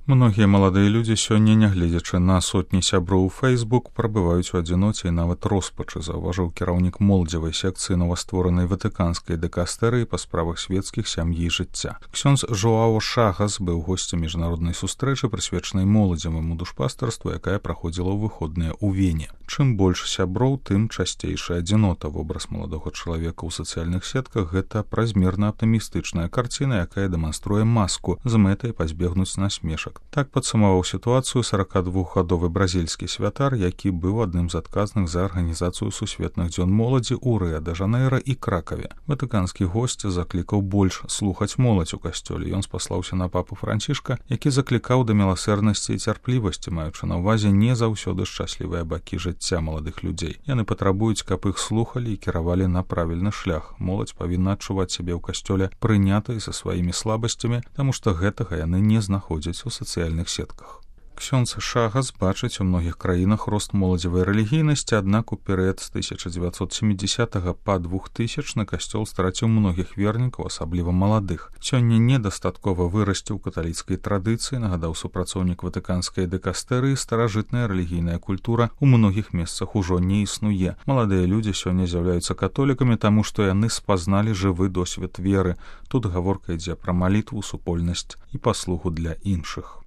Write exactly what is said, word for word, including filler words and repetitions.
Многія маладыя людзі сёння, нягледзячы на сотні сяброў у Facebook, прабываюць у адзіноце і нават роспачы, заўважыў кіраўнік моладзевай секцыі новастворанай ватыканскай дыкастэрыі па справах свецкіх, сям'і і жыцця. Ксёндз Жоао Шагас быў госцем міжнароднай сустрэчы, прысвечанай моладзеваму душпастарству, якая праходзіла ў выходныя ў Вене. Чым больш сяброў, тым часцейшая адзінота. Вобраз маладога чалавека ў сацыяльных сетках — гэта празмерна аптымістычная карціна, якая дэманструе маску з мэтай пазбегнуць насмешак. Так падсумаваў сітуацыю сорокадвухгадовы бразільскі святар, які быў адным з адказных за арганізацыю сусветных дзён моладзі ў Рыа-дэ-Жанэйра і Кракаве. Ватыканскі госць заклікаў больш слухаць моладзь у касцёле. Ён спаслаўся на папу Францішка, які заклікаў да міласэрнасці і цярплівасці, маючы на ўвазе не заўсёды шчаслівыя бакі жыцця маладых людзей. Яны патрабуюць, каб іх слухалі і кіравалі на правільны шлях. Моладзь павінна адчуваць сябе ў касцёле прынятай са сваімі слабасцямі, таму што гэтага яны не знаходзяць у сацыяльных сетках. Ксёндз Шагас бачыць у многіх краінах рост моладзевай рэлігійнасці, аднак у перыяд з тысяча дзевяцьсот сямідзесятага па двухтысячны касцёл страціў многіх вернікаў, асабліва маладых. Сёння недастаткова вырасці ў каталіцкай традыцыі, нагадаў супрацоўнік ватыканскай дыкастэрыі, старажытная рэлігійная культура ў многіх месцах ужо не існуе. Маладыя людзі сёння з'яўляюцца католікамі, таму што яны спазналі жывы досвед веры. Тут гаворка ідзе пра малітву, супольнасць і паслугу для іншых.